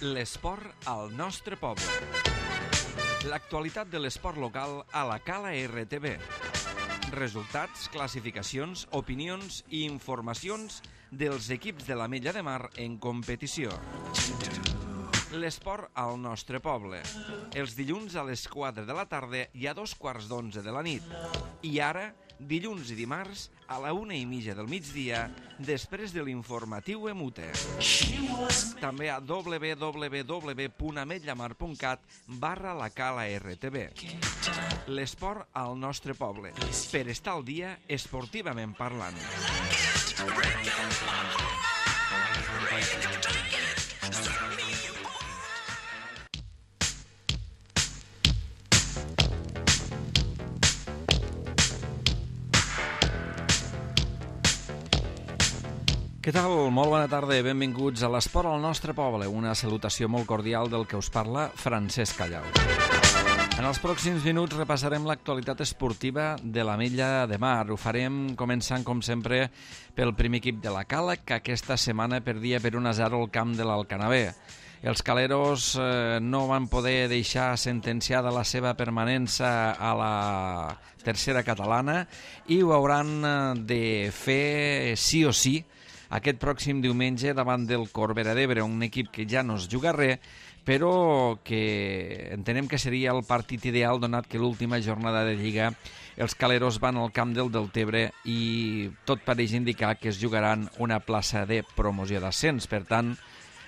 L'esport al nostre poble. L'actualitat de l'esport local a la Cala RTV. Resultats, classificacions, opinions i informacions dels equips de l'Ametlla de Mar en competició. L'esport al nostre poble. Els dilluns a les 4 de la tarda i a 2:15 de la nit. I ara, dilluns i dimarts, a la 1:30 del migdia, després de l'informatiu Emute. També a www.ametllamar.cat/la Cala RTV. L'esport al nostre poble. Per estar al dia, esportivament parlant. Què tal? Molt bona tarda i benvinguts a l'Esport al nostre poble. Una salutació molt cordial del que us parla Francesc Callau. En els pròxims minuts repassarem l'actualitat esportiva de l'Ametlla de Mar. Ho farem començant, com sempre, pel primer equip de la Cala, que aquesta setmana perdia per 1-0 el camp de l'Alcanavè. Els caleros no van poder deixar sentenciada la seva permanència a la tercera catalana i ho hauran de fer sí o sí aquest pròxim diumenge davant del Corbera d'Ebre, un equip que ja no es juga res, però que entenem que seria el partit ideal donat que l'última jornada de Lliga els caleros van al camp del Deltebre i tot pareix indicar que es jugaran una plaça de promoció d'ascens. Per tant,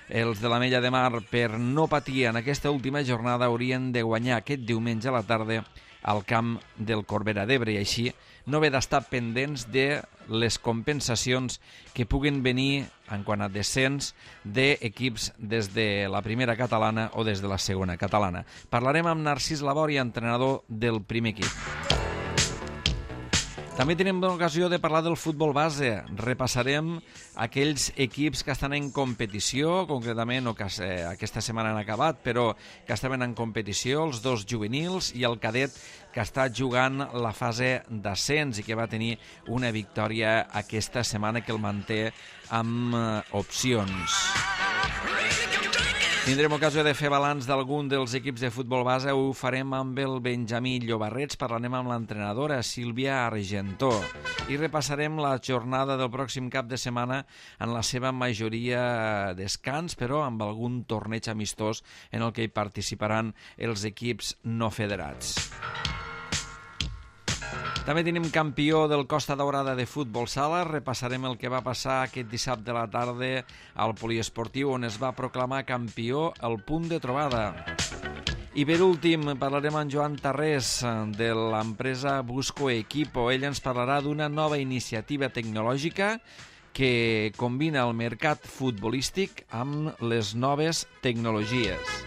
els de l'Ametlla de Mar, per no patir en aquesta última jornada, haurien de guanyar aquest diumenge a la tarda al camp del Corbera d'Ebre i així no haver d'estar pendents de les compensacions que puguin venir en quant a descens d'equips des de la primera catalana o des de la segona catalana. Parlarem amb Narcís Labori, entrenador del primer equip. També tenim l'ocasió de parlar del futbol base. Repassarem aquells equips que estan en competició, concretament, o que aquesta setmana han acabat, però que estaven en competició, els dos juvenils i el cadet que està jugant la fase d'ascens i que va tenir una victòria aquesta setmana que el manté amb opcions. Tindrem ocasió de fer balanç d'algun dels equips de futbol base. Ho farem amb el Benjamí Llobarrets, parlarem amb l'entrenadora Sílvia Argentó i repassarem la jornada del pròxim cap de setmana en la seva majoria descans, però amb algun torneig amistós en el que hi participaran els equips no federats. També tenim campió del Costa Daurada de futbol sala. Repassarem el que va passar aquest dissabte a la tarda al poliesportiu, on es va proclamar campió el Punt de Trobada. I per últim parlarem amb Joan Tarrés de l'empresa Busco Equipo. Ell ens parlarà d'una nova iniciativa tecnològica que combina el mercat futbolístic amb les noves tecnologies.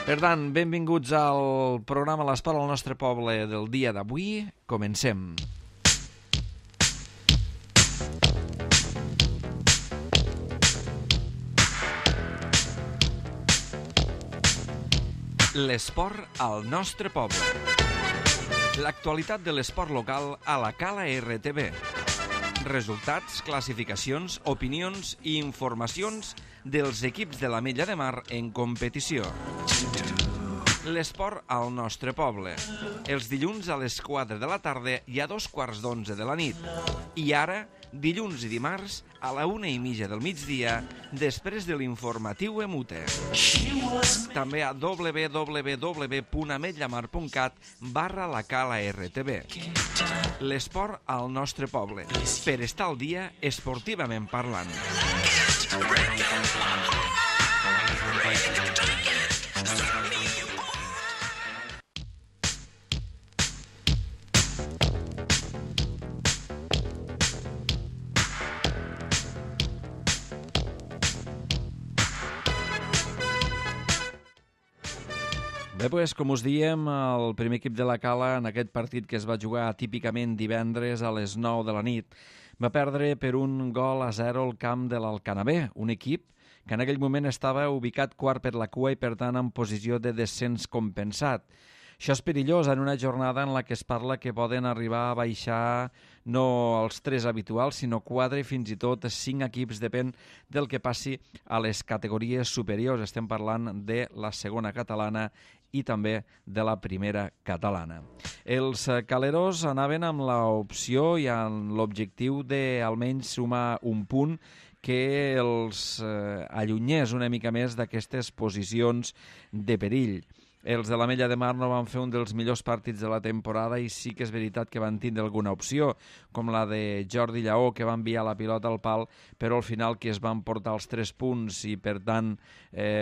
Per tant, benvinguts al programa L'Esport al nostre poble del dia d'avui. Comencem. L'esport al nostre poble. L'actualitat de l'esport local a la Cala RTV. Resultats, classificacions, opinions i informacions dels equips de l'Ametlla de Mar en competició. L'esport al nostre poble. Els dilluns a les 4 de la tarda i a 2:15 de la nit. I ara, dilluns i dimarts, a la 1:30 del migdia, després de l'informatiu Emute. També a www.ametllamar.cat/la Cala RTV. L'esport al nostre poble. Per estar al dia, esportivament parlant. Bé, doncs, com us diem, el primer equip de la Cala en aquest partit que es va jugar típicament divendres a les 9 de la nit va perdre per 1-0 al camp de l'Alcanavè, un equip que en aquell moment estava ubicat quart per la cua i per tant en posició de descens compensat. Això és perillós en una jornada en la que es parla que poden arribar a baixar no els 3 habituals, sinó 4 i fins i tot 5 equips, depèn del que passi a les categories superiors. Estem parlant de la segona catalana i també de la primera catalana. Els caleros anaven amb l'opció i amb l'objectiu d'almenys sumar un punt que els allunyés una mica més d'aquestes posicions de perill. Els de l'Ametlla de Mar no van fer un dels millors partits de la temporada i sí que és veritat que van tindre alguna opció, com la de Jordi Lleó, que va enviar la pilota al pal, però al final qui es van portar els 3 punts i, per tant,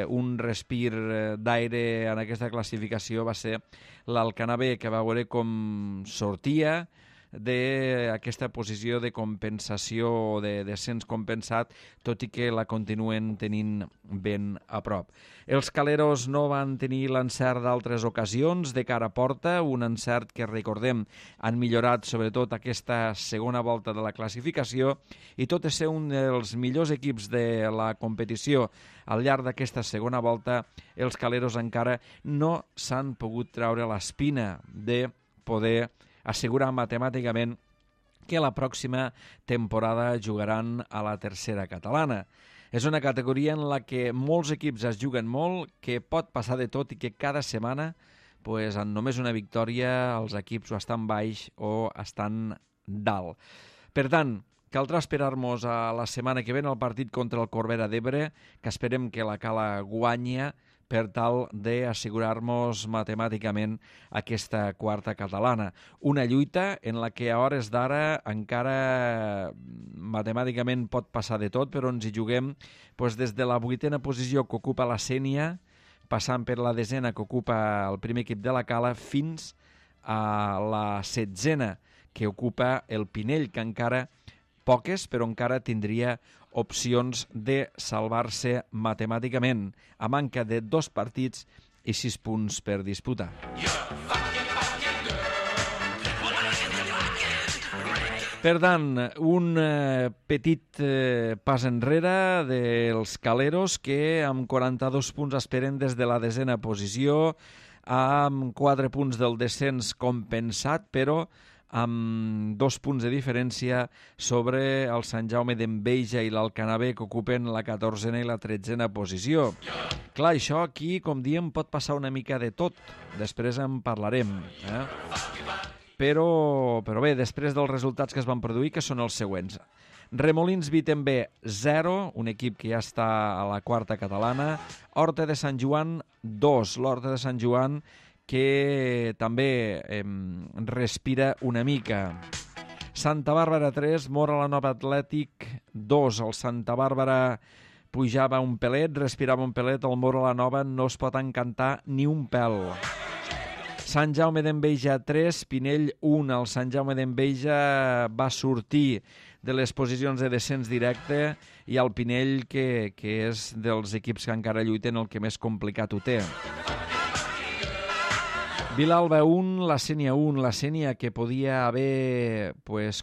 un respir d'aire en aquesta classificació va ser l'Alcanavé, que va veure com sortia d'aquesta posició de compensació o de descens compensat, tot i que la continuen tenint ben a prop. Els caleros no van tenir l'encert d'altres ocasions de cara a porta, un encert que, recordem, han millorat sobretot aquesta segona volta de la classificació, i tot i ser un dels millors equips de la competició al llarg d'aquesta segona volta, els caleros encara no s'han pogut treure l'espina de poder assegurar matemàticament que la pròxima temporada jugaran a la tercera catalana. És una categoria en la que molts equips es juguen molt, que pot passar de tot i que cada setmana, en només una victòria, els equips o estan baix o estan dalt. Per tant, caldrà esperar-nos a la setmana que ve el partit contra el Corbera d'Ebre, que esperem que la Cala guanyi per tal d'assegurar-nos matemàticament aquesta quarta catalana. Una lluita en la que a hores d'ara encara matemàticament pot passar de tot, però ens hi juguem des de la 8a posició que ocupa la Sénia, passant per la 10a que ocupa el primer equip de la Cala, fins a la 16a que ocupa el Pinell, que encara poques, però encara tindria opcions de salvar-se matemàticament, a manca de 2 partits i 6 punts per disputar. Per tant, un petit pas enrere dels caleros que amb 42 punts esperen des de la 10a posició, amb 4 punts del descens compensat, però amb 2 punts de diferència sobre el Sant Jaume d'Enveja i l'Alcanavé, que ocupen la 14a i la 13a posició. Clar, això aquí, com diem, pot passar una mica de tot. Després en parlarem. Però bé, després dels resultats que es van produir, que són els següents. Remolins Vitember 0, un equip que ja està a la quarta catalana. Horta de Sant Joan 2, l'Horta de Sant Joan, que també respira una mica. Santa Bàrbara 3, Móra la Nova Atlètic 2. El Santa Bàrbara pujava un pelet, respirava un pelet, el Móra la Nova no es pot encantar ni un pèl. Sant Jaume d'Enveja 3, Pinell 1. El Sant Jaume d'Enveja va sortir de les posicions de descens directe i el Pinell, que és dels equips que encara lluiten, el que més complicat ho té. Vilalba 1, la Sénia 1, la Sénia que podia haver,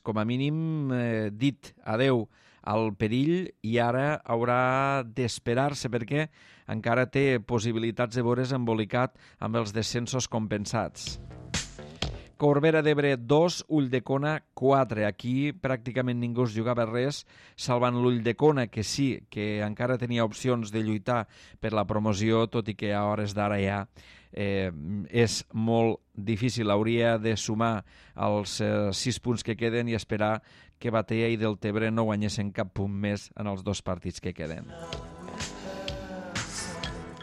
com a mínim, dit adeu al perill i ara haurà d'esperar-se perquè encara té possibilitats de veure's embolicat amb els descensos compensats. Corbera d'Ebre 2, Ulldecona 4. Aquí pràcticament ningú es jugava res, salvant l'Ulldecona, que sí, que encara tenia opcions de lluitar per la promoció, tot i que a hores d'ara ja és molt difícil. Hauria de sumar els 6 punts que queden i esperar que Batea i Deltebre no guanyessin cap punt més en els 2 partits que queden.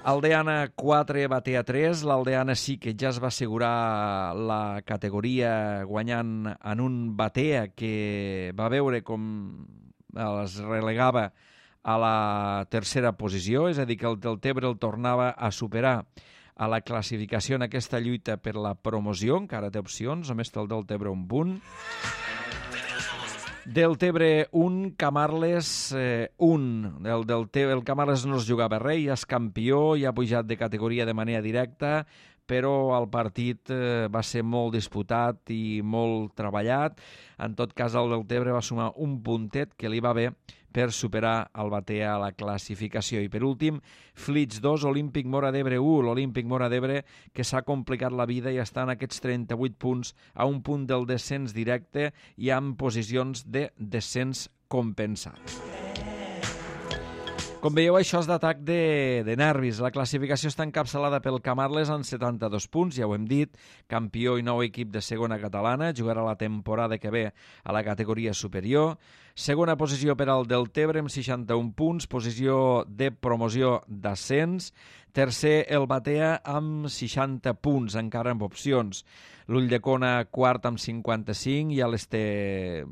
Aldeana 4, Batea 3. L'Aldeana sí que ja es va assegurar la categoria guanyant en un Batea que va veure com es relegava a la tercera posició, és a dir, que el Deltebre el tornava a superar a la classificació en aquesta lluita per la promoció. Encara té opcions, només té el Deltebre un punt. Deltebre 1, Camarles 1. El Camarles no es jugava res, ja és campió, ja ha pujat de categoria de manera directa, però el partit va ser molt disputat i molt treballat. En tot cas, el Deltebre va sumar un puntet que li va bé per superar el Batea a la classificació. I per últim, Flix 2, Olímpic Móra d'Ebre 1. L'Olímpic Móra d'Ebre que s'ha complicat la vida i està en aquests 38 punts a un punt del descens directe i amb posicions de descens compensat. Com veieu, això és d'atac de nervis. La classificació està encapçalada pel Camarles amb 72 punts, ja ho hem dit, campió i nou equip de segona catalana, jugarà la temporada que ve a la categoria superior. Segona posició per al Deltebre amb 61 punts, posició de promoció d'ascens. Tercer, el Batea amb 60 punts, encara amb opcions. L'Ulldecona quart amb 55, ja les té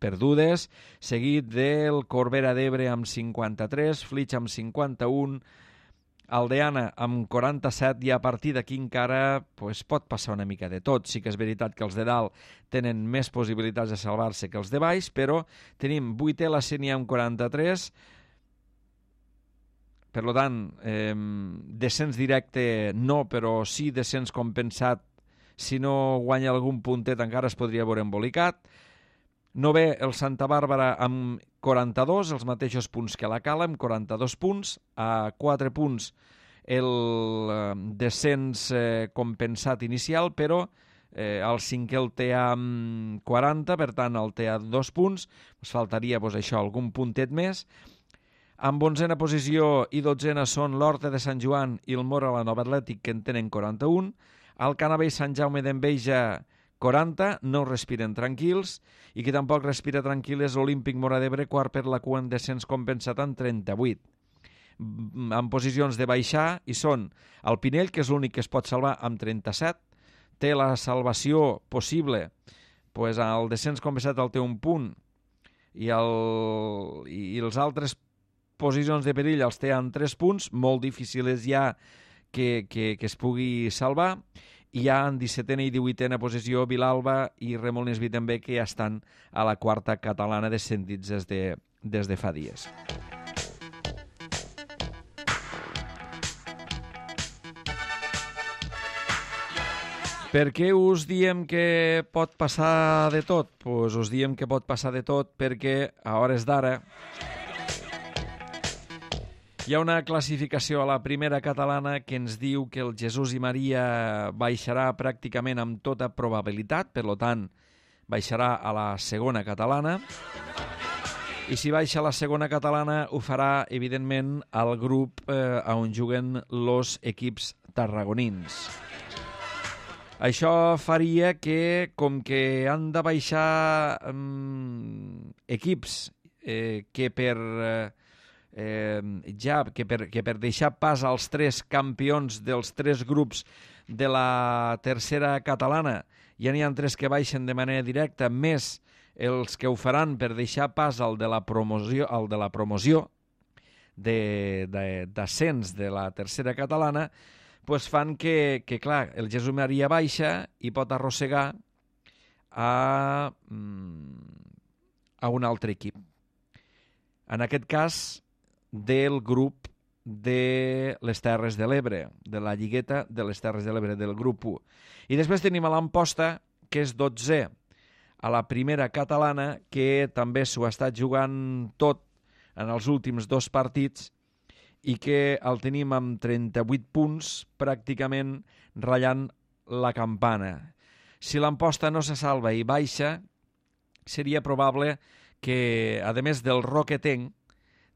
perdudes, seguit del Corbera d'Ebre amb 53, Flix amb 51, Aldeana amb 47 i a partir d'aquí encara pot passar una mica de tot. Sí que és veritat que els de dalt tenen més possibilitats de salvar-se que els de baix, però tenim 8è la Sénia amb 43, per tant, descens directe no, però sí descens compensat. Si no guanya algun puntet encara es podria veure embolicat. 9è el Santa Bàrbara amb 42, els mateixos punts que la Cala, amb 42 punts. A 4 punts el descens compensat inicial, però el 5è el té amb 40, per tant el té a 2 punts. Ens faltaria algun puntet més. Amb 11a posició i 12a són l'Horta de Sant Joan i el Móra la Nova Atlètic, que en tenen 41. El Canavell Sant Jaume d'Enveja 40, no respiren tranquils, i qui tampoc respira tranquil és l'Olímpic Móra d'Ebre, quart per la cua en descens compensat amb 38. En posicions de baixar hi són el Pinell, que és l'únic que es pot salvar amb 37, té la salvació possible, el descens compensat el té un punt, i els altres posicions de perill els té en 3 punts, molt difícil és ja que es pugui salvar. I hi ha en 17a i 18a posició Vilalba i Remolins Vi també, que ja estan a la quarta catalana descendits des de fa dies. Per què us diem que pot passar de tot? Doncs us diem que pot passar de tot perquè a hores d'ara hi ha una classificació a la primera catalana que ens diu que el Jesús i Maria baixarà pràcticament amb tota probabilitat, per tant, baixarà a la segona catalana. I si baixa a la segona catalana ho farà, evidentment, al grup on juguen els equips tarragonins. Això faria que, com que han de baixar equips que per deixar pas als 3 campions dels 3 grups de la tercera catalana, ja n'hi ha 3 que baixen de manera directa, més els que ho faran per deixar pas al de la promoció d'ascens de la tercera catalana, fan que clar, el Jesús Maria baixa i pot arrossegar a un altre equip. En aquest cas, del grup de les Terres de l'Ebre, de la Lligueta de les Terres de l'Ebre, del grup 1. I després tenim a l'Amposta, que és 12è a la primera catalana, que també s'ho ha estat jugant tot en els últims 2 partits i que el tenim amb 38 punts, pràcticament ratllant la campana. Si l'Amposta no se salva i baixa, seria probable que, a més del Roquetenc,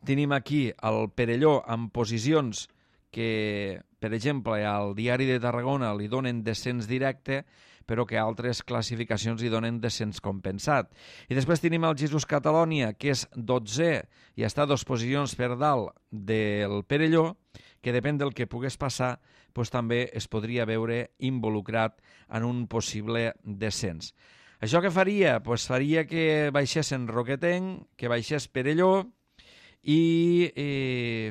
tenim aquí el Perelló amb posicions que, per exemple, al Diari de Tarragona li donen descens directe, però que altres classificacions li donen descens compensat. I després tenim el Jesús Catalònia, que és 12è i està 2 posicions per dalt del Perelló, que depèn del que pogués passar, també es podria veure involucrat en un possible descens. Això què faria? Faria que baixessin Roquetenc, que baixés Perelló, i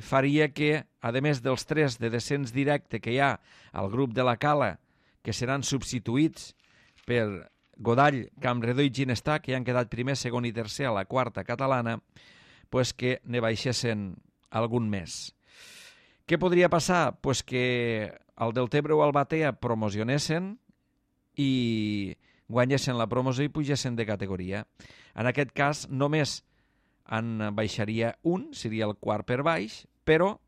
faria que, a més dels 3 de descens directe que hi ha al grup de la Cala, que seran substituïts per Godall, Campredó i Ginestar, que ja han quedat primer, segon i tercer a la quarta catalana, que ne baixessin algun més. Què podria passar? Pues que el Deltebre o el Batea promocionessin i guanyessin la promoció i pugessin de categoria. En aquest cas, només en baixaria un, seria el quart per baix, però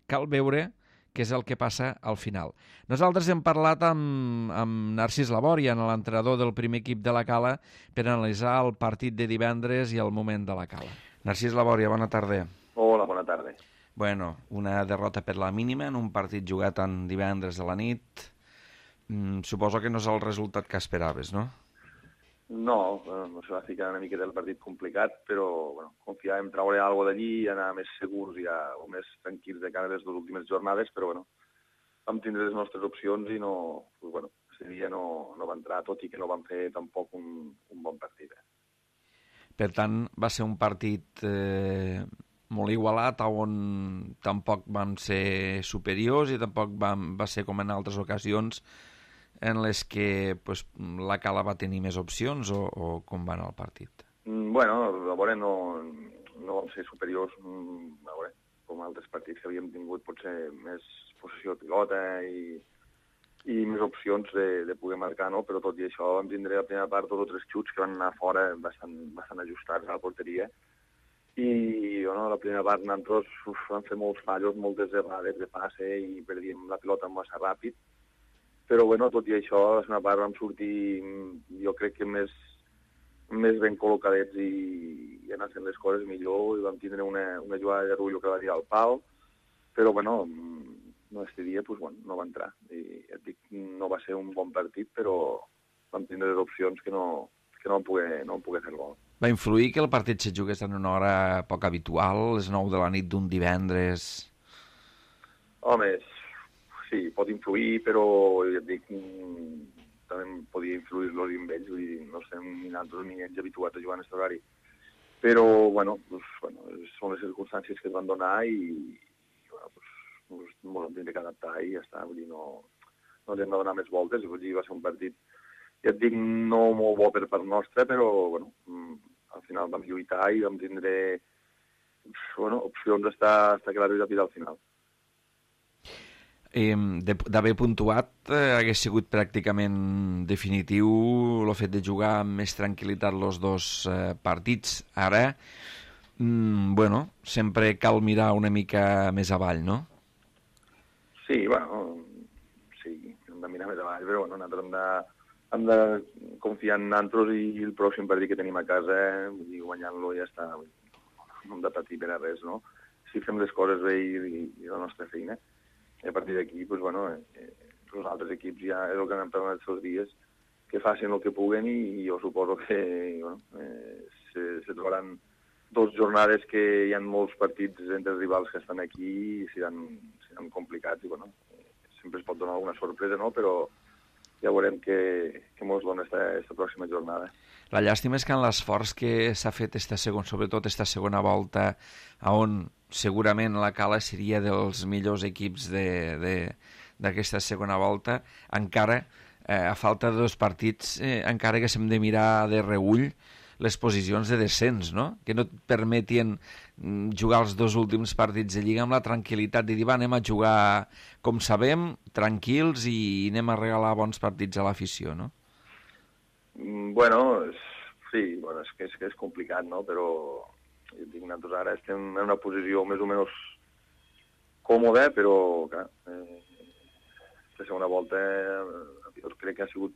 cal veure què és el que passa al final. Nosaltres hem parlat amb Narcís Labòria, l'entrenador del primer equip de la Cala, per analitzar el partit de divendres i el moment de la Cala. Narcís Labòria, bona tarda. Hola, bona tarda. Bueno, una derrota per la mínima en un partit jugat en divendres de la nit. Suposo que no és el resultat que esperaves, no? No, no se va ficar una miqueta el partit complicat, però bueno, confiàvem en treure alguna cosa d'allí i anar més segurs o més tranquils de cara a les dues últimes jornades, però bueno, vam tindre les nostres opcions i no, pues, bueno, ese dia no va entrar, tot i que no vam fer tampoc un bon partit. Per tant, va ser un partit molt igualat, on tampoc vam ser superiors i tampoc va ser com en altres ocasions en les que pues, la Cala va tenir més opcions o com va anar el partit? Bueno, a veure, no vam ser superiors, a veure, com altres partits que havíem tingut potser més possessió de pilota i més opcions de poder marcar, no? Però tot i això vam tindre la primera part 2 o 3 xuts que van anar fora bastant ajustats a la porteria i bueno, la primera part nosaltres vam fer molts fallos, moltes errades de passe i perdíem la pilota massa ràpid. Però, bueno, tot i això, a la segona part vam sortir, jo crec que més ben col·locadets i anar fent les coses millor i vam tindre una jugada de Rullo que va tirar al pal, però, bueno, este dia, pues, bueno, no va entrar. I et dic, no va ser un bon partit, però vam tindre les opcions que no vam poder fer el gol. Va influir que el partit se jugués en una hora poc habitual, les 9 de la nit d'un divendres? Home, sí, pot influir, però ja et dic, també podia influir-los amb ells, vull dir, no estem ni nosaltres ni ells habituats a jugar en aquest horari. Però, bueno, són les circumstàncies que es van donar i ens vam tindre que adaptar i ja està, vull dir, no ens hem de donar més voltes, vull dir, va ser un partit, ja et dic, no molt bo per part nostra, però, bueno, al final vam lluitar i vam tindre, opcions d'estar clars i al final. D'haver puntuat hagués sigut pràcticament definitiu el fet de jugar amb més tranquil·litat els dos partits. Ara, bueno, sempre cal mirar una mica més avall, no? Sí, bueno, sí, hem de mirar més avall, però bueno, nosaltres hem de confiar en nosaltres i el pròxim partit que tenim a casa, i guanyant-lo ja està, no hem de patir per a res, no? Si fem les coses bé i la nostra feina, i a partir d'aquí, doncs, bueno, els altres equips ja és el que han parlat els dies, que facin el que puguen i jo suposo que bueno, se trobaran 2 jornades que hi ha molts partits entre els rivals que estan aquí i seran complicats i bueno, sempre es pot donar alguna sorpresa, no? Però ja veurem què ens dona aquesta pròxima jornada. La llàstima és que en l'esforç que s'ha fet sobretot esta segona volta, on segurament la Cala seria dels millors equips d'aquesta segona volta, encara, a falta de 2 partits, encara que s'hem de mirar de reüll les posicions de descens, no? Que no et permetien jugar els 2 últims partits de Lliga amb la tranquil·litat de dir, va, anem a jugar com sabem, tranquils, i anem a regalar bons partits a l'afició, no? Bueno, sí, bueno, és que és complicat, no? Però jo dic, nosaltres ara estem en una posició més o menys còmoda, però clar, la segona volta jo crec que ha sigut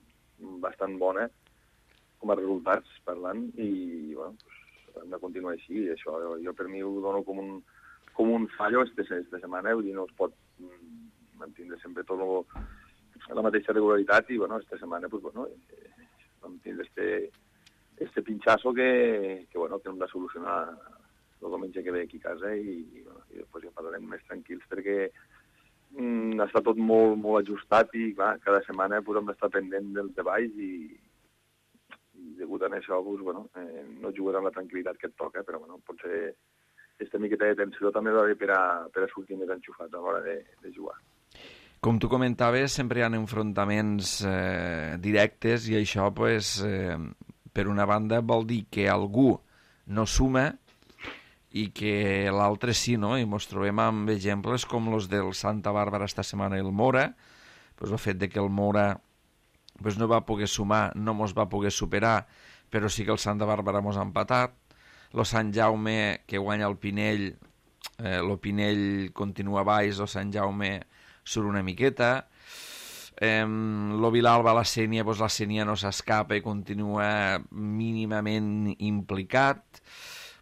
bastant bona com a resultats parlant i bueno, hem de continuar així. Això jo per mi ho dono com un fallo aquesta setmana, vull dir, no es pot mantenir sempre tot la mateixa regularitat i bueno, aquesta setmana pues, bueno, vam tindre este pinchazo que bueno, que hem de solucionar el diumenge que ve aquí a casa i bueno, i després ja parlarem més tranquils perquè està tot molt, molt ajustat i clar, cada setmana pues, hem d'estar pendent dels treballs i degut a això pues, bueno, no jugarà amb la tranquil·litat que et toca, però bueno, potser aquesta miqueta de tensió també va bé per a sortir més enxufats a l'hora de jugar. Com tu comentaves, sempre hi ha enfrontaments directes i això, pues, per una banda, vol dir que algú no suma i que l'altre sí, no? I ens trobem amb exemples com els del Santa Bàrbara esta setmana i el Mora, el fet de que el Mora no va poder sumar, no ens va poder superar, però sí que el Santa Bàrbara ens ha empatat, el Sant Jaume que guanya el Pinell, el Pinell continua baix, el Sant Jaume surt una miqueta, el Vilalba, la Sénia, la Sénia no s'escapa i continua mínimament implicat.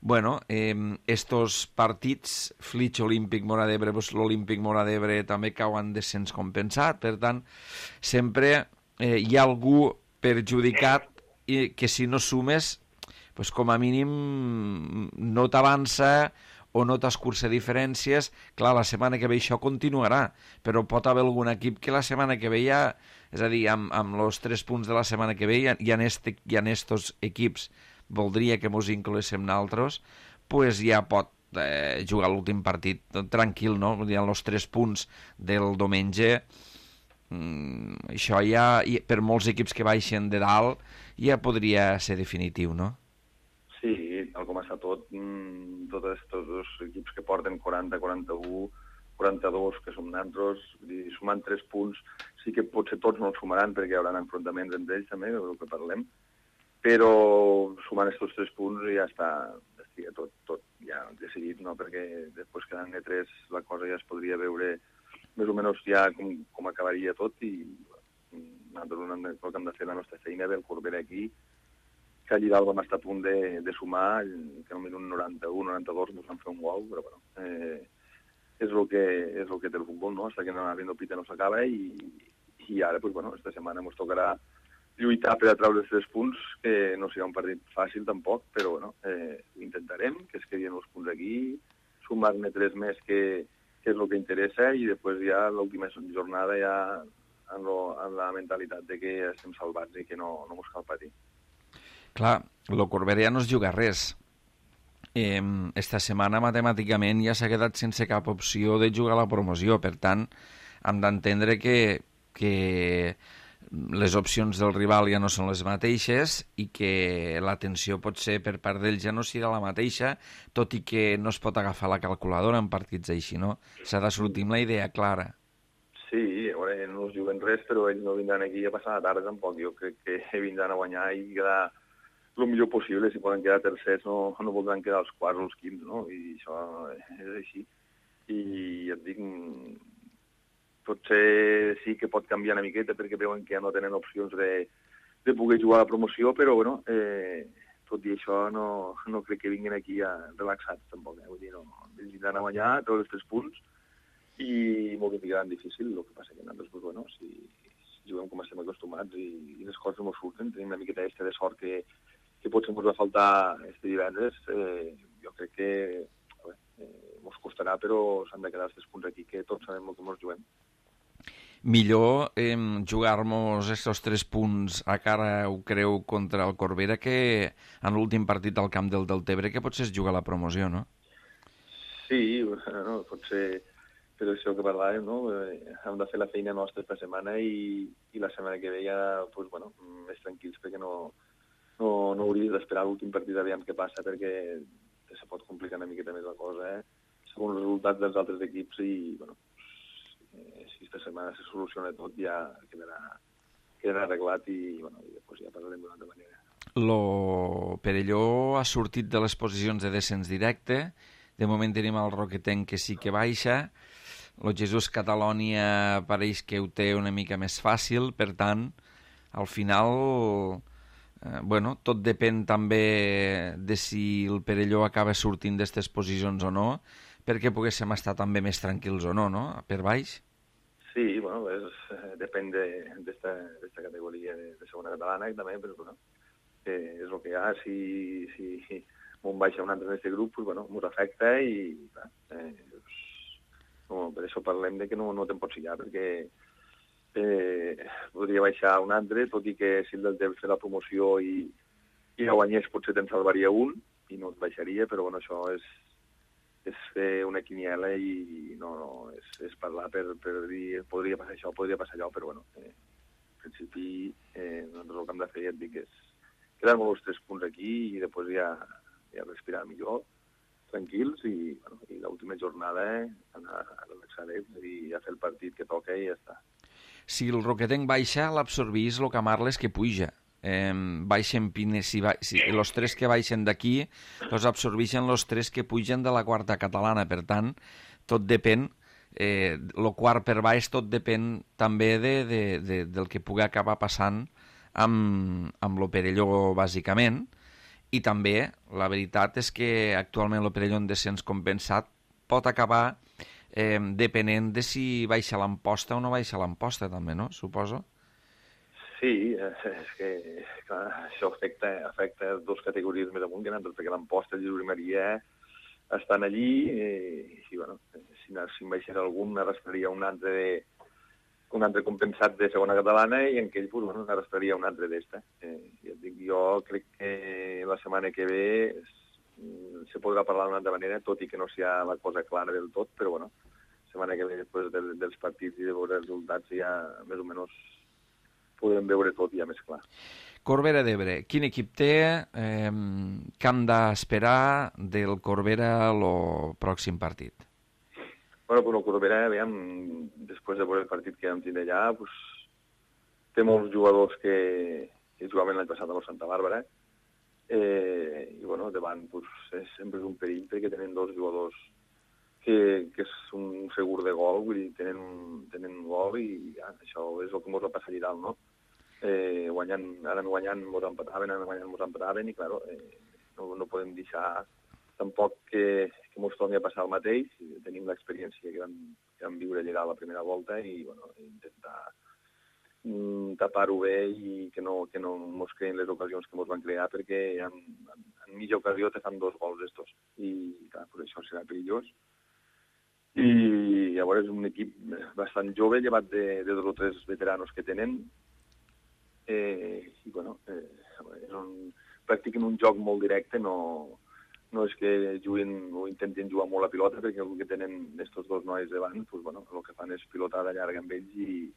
Bueno, estos partits, Flix, Olímpic, Móra d'Ebre, l'Olímpic Móra d'Ebre també cauen descens compensat, per tant, sempre hi ha algú perjudicat i que si no sumes, com a mínim no t'avança o no t'escurça diferències. Clar, la setmana que ve això continuarà, però pot haver algun equip que la setmana que ve ja, és a dir, amb els 3 punts de la setmana que ve hi ha estos equips, voldria que mos incloguéssim nosaltres, ja pot jugar l'últim partit tranquil, no? Hi ha els 3 punts del diumenge, això ja, per molts equips que baixen de dalt, ja podria ser definitiu, no? Sí, tal com està tot, tots aquests dos equips que porten 40, 41, 42, que som nosaltres, sumant 3 punts, sí que potser tots no els sumaran perquè hi haurà enfrontaments entre ells també, del que parlem, però sumant aquests 3 punts ja està tot ja decidit, no? Perquè després quedant de 3 la cosa ja es podria veure més o menys ja com acabaria tot i nosaltres el que hem de fer la nostra feina del Corbera aquí, que allí dalt vam estar a punt de sumar, que al minut 91, 92 ens van fer un gol, però bueno, és el que té el futbol, no? Hasta que no arriba el pita no s'acaba i ara, pues bueno, esta setmana ens tocarà lluitar per a treure els 3 punts, que no serà un partit fàcil tampoc, però bueno, intentarem que es quedin els punts aquí, sumar-ne 3 més que és el que interessa i després ja l'última jornada ja amb la mentalitat de que estem salvats i que no ens cal patir. Clar, el Corbera ja no es juga res. Esta setmana matemàticament ja s'ha quedat sense cap opció de jugar a la promoció, per tant hem d'entendre que les opcions del rival ja no són les mateixes i que l'atenció potser per part d'ells ja no serà la mateixa, tot i que no es pot agafar la calculadora en partits així, no? S'ha de sortir amb la idea clara. Sí, a veure, no es juguen res, però ells no vindran aquí a passar la tarda tampoc. Jo crec que vindran a guanyar i quedar el millor possible. Si poden quedar tercers no voldran quedar els quarts o els quints, no? I això és així. I ja et dic, potser sí que pot canviar una miqueta perquè veuen que ja no tenen opcions de poder jugar a la promoció, però bueno, tot i això no crec que vinguin aquí relaxats tampoc. Vull dir, no, ells vindran a guanyar tots els 3 punts i molt que ficaran difícil. El que passa que nosaltres, pues, bueno, si juguem com estem acostumats i les coses no surten, tenim una miqueta de sort que potser ens va faltar este divendres, jo crec que ens costarà, però s'han de quedar els 3 punts aquí, que tots sabem el que ens juguem. Millor jugar-nos aquests 3 punts a cara, ho creu, contra el Corbera que en l'últim partit al camp del Deltebre, que potser es juga la promoció, no? Sí, no, potser per això que parlàvem, no? Hem de fer la feina nostra esta setmana i la setmana que ve ja, pues, bueno, més tranquils, perquè no hauries d'esperar l'últim partit a veure què passa, perquè se pot complicar una miqueta més la cosa, segons els resultats dels altres equips i, bueno, si esta setmana se soluciona tot ja quedarà arreglat i, bueno, i després ja parlarem d'una altra manera. Lo Perelló ha sortit de les posicions de descens directe, de moment tenim el Roquetenc que sí que baixa, el Jesús Catalònia pareix que ho té una mica més fàcil, per tant, al final, bueno, tot depèn també de si el Perelló acaba sortint d'aquestes posicions o no, perquè poguéssim estar també més tranquils o no, per baix? Sí, bueno, depèn d'esta categoria de segona catalana i també, però bueno, és el que hi ha. Si m'on baixa un altre en aquest grup, pues, bueno, m'ho afecta i clar, no, per això parlem de que no te'n pots fiar, perquè podria baixar un altre, tot i que si el del temps fer la promoció i la guanyés potser te'n salvaria un i no et baixaria, però bueno, això és fer una quiniela i no és parlar per dir podria passar això, podria passar allò, però bueno, en principi nosaltres el que hem de fer, ja et dic, és quedar-nos els 3 punts aquí i després ja respirar millor, tranquils i l'última jornada anar a relaxar-nos i a fer el partit que toca i ja està. Si el Roquetenc baixa, l'absorbís el Camarles que puja. Baixen Pines, si els 3 que baixen d'aquí els absorbeixen els 3 que pugen de la quarta catalana. Per tant, tot depèn, el quart per baix tot depèn també del que pugui acabar passant amb l'Operelló, bàsicament. I també, la veritat és que actualment l'Operelló en descens compensat pot acabar depenent de si baixa l'Amposta o no baixa l'Amposta, també, no? Suposo. Sí, és que clar, això afecta 2 categories més amunt que nosaltres, perquè l'Amposta i Lliure Maria estan allí i bueno, si en baixés algun arrastraria un altre compensat de segona catalana i en aquell bueno, arrastraria un altre d'esta. Ja et dic, jo crec que la setmana que ve se podrà parlar d'una altra manera, tot i que no sigui la cosa clara del tot, però bueno, la setmana que ve, després dels partits i de veure els resultats, ja més o menys podrem veure tot ja més clar. Corbera d'Ebre, quin equip té? Què hem d'esperar del Corbera el pròxim partit? Bueno, però el Corbera, veiem, després de veure el partit que vam tindre allà, pues, té molts jugadors que jugaven l'any passat a la Santa Bàrbara, i bueno, davant pues, sempre és un perill perquè tenen 2 jugadors que és un segur de gol, vull dir, tenen gol i ja, això és el que ens va passar allà dalt, no? Ara guanyant mos empataven i, clar, no podem deixar tampoc que mos torni a passar el mateix. Tenim l'experiència que vam viure allà la primera volta i, bueno, intentar tapar-ho bé i que no mos creen les ocasions que mos van crear, perquè en mitja ocasió te fan 2 gols d'estos i, clar, per això serà perillós. I llavors és un equip bastant jove, llevat de 2 o 3 veteranos que tenen, i bueno, practiquen un joc molt directe, no és que juguin o intentin jugar molt a pilota, perquè el que tenen estos 2 nois davant, pues, bueno, el que fan és pilotada llarga amb ells i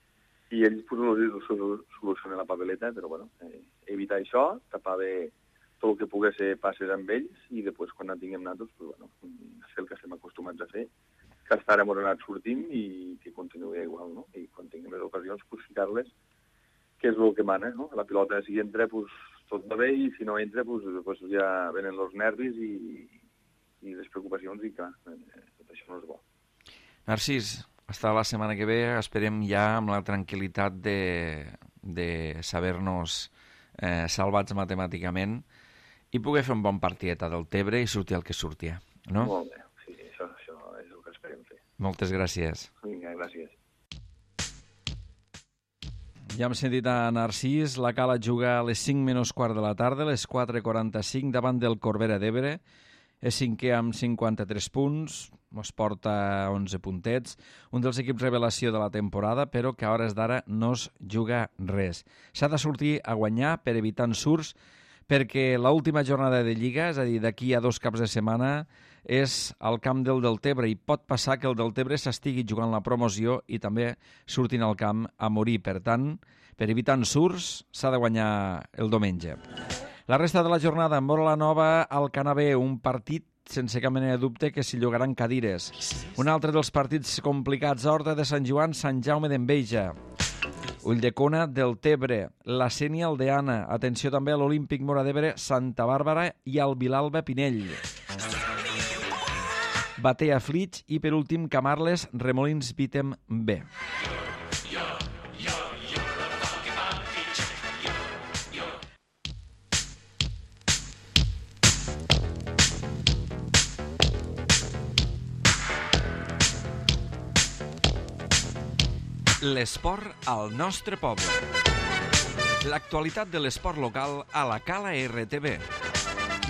ells solucionen la papeleta, però bueno, evitar això, tapar bé tot el que pugui ser passes amb ells i després quan en tinguem nosaltres, pues, bueno, fer el que estem acostumats a fer, que hasta ara hem anat sortint i que continuï igual, no? I quan tinguem les ocasions, pues, ficar-les, que és el que mana, no? La pilota, si entra, pues, tot va bé, i si no entra, pues, ja venen els nervis i les preocupacions i, clar, tot això no és bo. Narcís, hasta la setmana que ve, esperem ja amb la tranquil·litat de saber-nos salvats matemàticament i poder fer un bon partieta del Tebre i sortir el que sortia, no? Molt bé, sí, això és el que esperem fer. Moltes gràcies. Vinga, gràcies. Ja hem sentit a Narcís, la Cala juga a les 5 menys quart de la tarda, a les 4:45, davant del Corbera d'Ebre. És 5è amb 53 punts, es porta 11 puntets, un dels equips revelació de la temporada, però que a hores d'ara no es juga res. S'ha de sortir a guanyar per evitar ensurts, perquè l'última jornada de Lliga, és a dir, d'aquí a 2 caps de setmana, és al camp del Deltebre i pot passar que el Deltebre s'estigui jugant la promoció i també surtin al camp a morir. Per tant, per evitar ensurts, s'ha de guanyar el diumenge. La resta de la jornada en Móra la Nova al Canabé, un partit sense cap mena de dubte que s'hi llogaran cadires. Un altre dels partits complicats, Horta de Sant Joan, Sant Jaume d'Enveja. Ulldecona del Tebre, la Sénia Aldeana, atenció també a l'Olímpic Móra d'Ebre, Santa Bàrbara i al Vilalba Pinell. Batea Flix i per últim Camarles Remolins Vítem B. L'esport al nostre poble. L'actualitat de l'esport local a la Cala RTV.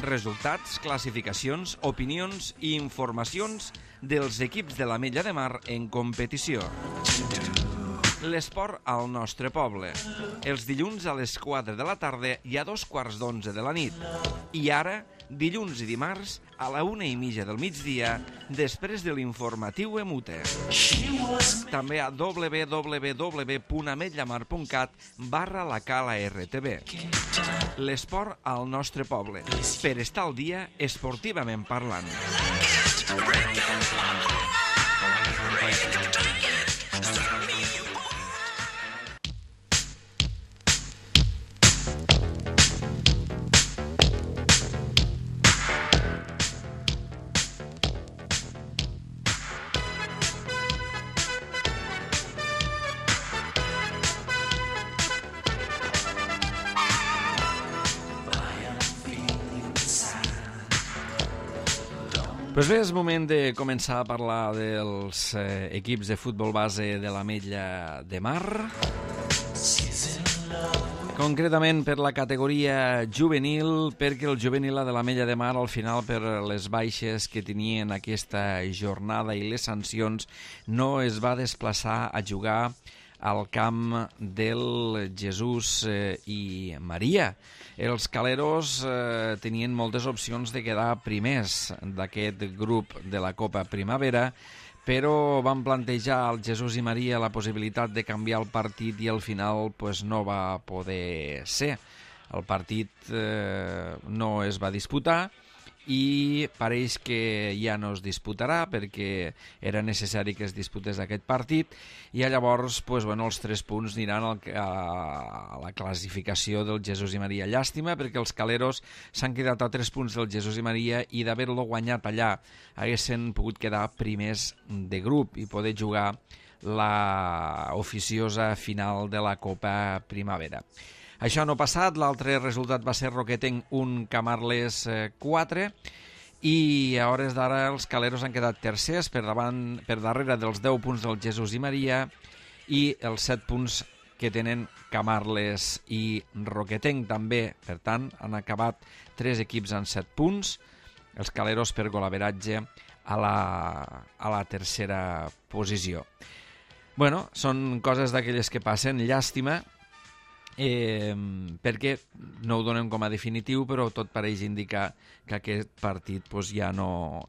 Resultats, classificacions, opinions i informacions dels equips de l'Ametlla de Mar en competició. L'esport al nostre poble. Els dilluns a les 4 de la tarda i a 2:15 de la nit. I ara, dilluns i dimarts a la 1:30 del migdia, després de l'informatiu Emute. També a www.ametlllamar.cat/la L'esport al nostre poble, per estar al dia esportivament parlant. Pues bé, és moment de començar a parlar dels equips de futbol base de l'Ametlla de Mar. Concretament per la categoria juvenil, perquè el juvenil de l'Ametlla de Mar al final per les baixes que tenien aquesta jornada i les sancions no es va desplaçar a jugar al camp del Jesús i Maria. Els caleros tenien moltes opcions de quedar primers d'aquest grup de la Copa Primavera, però van plantejar al Jesús i Maria la possibilitat de canviar el partit i al final pues, no va poder ser. El partit no es va disputar i pareix que ja no es disputarà perquè era necessari que es disputés aquest partit i llavors pues, bueno, els 3 punts aniran a la classificació del Jesús i Maria. Llàstima perquè els caleros s'han quedat a 3 punts del Jesús i Maria i d'haver-lo guanyat allà haguessin pogut quedar primers de grup i poder jugar la oficiosa final de la Copa Primavera. Això no ha passat, l'altre resultat va ser Roquetenc 1, Camarles 4 i a hores d'ara els caleros han quedat tercers per darrere dels 10 punts del Jesús i Maria i els 7 punts que tenen Camarles i Roquetenc també. Per tant, han acabat 3 equips amb 7 punts, els caleros per golaveratge a la tercera posició. Bueno, són coses d'aquelles que passen, llàstima, perquè no ho donem com a definitiu, però tot pareix indicar que aquest partit pues, ja no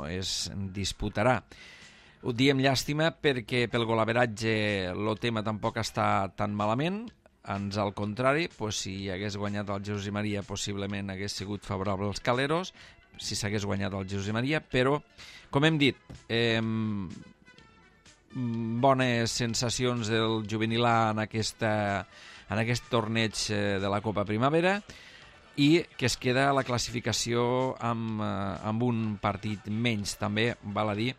es disputarà. Ho diem llàstima perquè pel golaveratge el tema tampoc està tan malament, ans al contrari, pues, si hagués guanyat el Jesús i Maria possiblement hagués sigut favorable als caleros, si s'hagués guanyat el Jesús i Maria, però com hem dit, bones sensacions del juvenil A en aquest torneig de la Copa Primavera i que es queda a la classificació amb un partit menys. També val a dir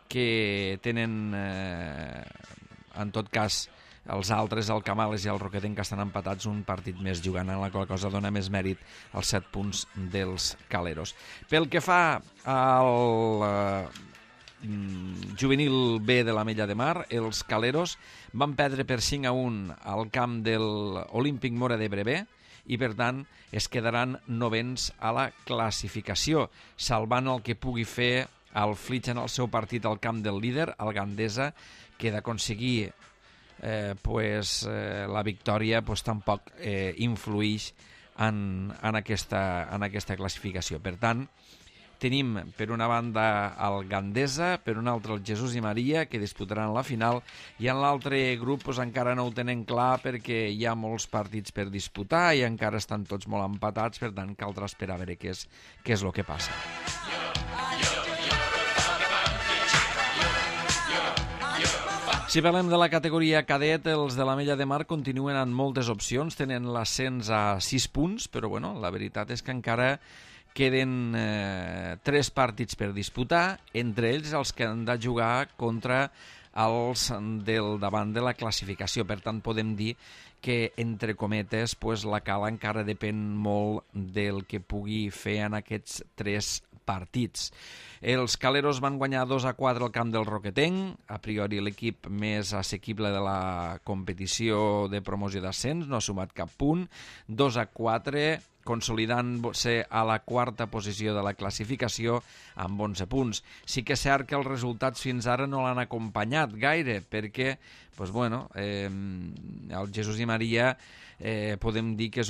que tenen, en tot cas, els altres, el Camales i el Roquetenc, que estan empatats un partit més jugant, en la qual cosa dona més mèrit als 7 punts dels caleros. Pel que fa al juvenil B de l'Ametlla de Mar, els caleros van perdre per 5-1 al camp de l'Olímpic Mora de Brevé i per tant es quedaran novens a la classificació, salvant el que pugui fer el Flix en el seu partit al camp del líder, el Gandesa, que d'aconseguir la victòria tampoc influïx en aquesta classificació. Per tant, tenim per una banda el Gandesa, per una altra el Jesús i Maria, que disputaran la final, i en l'altre grup encara no ho tenen clar perquè hi ha molts partits per disputar i encara estan tots molt empatats, per tant caldrà esperar a veure què és el que passa. Si parlem de la categoria cadet, els de l'Ametlla de Mar continuen amb moltes opcions, tenen l'ascens a 6 punts, però bueno, la veritat és que encara queden 3 partits per disputar, entre ells els que han de jugar contra els del davant de la classificació. Per tant, podem dir que, entre cometes, la cala encara depèn molt del que pugui fer en aquests 3 partits. Els caleros van guanyar 2-4 al camp del Roquetenc, a priori l'equip més assequible de la competició de promoció d'ascens, no ha sumat cap punt. 2-4, consolidant-se a la quarta posició de la classificació amb 11 punts. Sí que és cert que els resultats fins ara no l'han acompanyat gaire, perquè el Jesús i Maria podem dir que és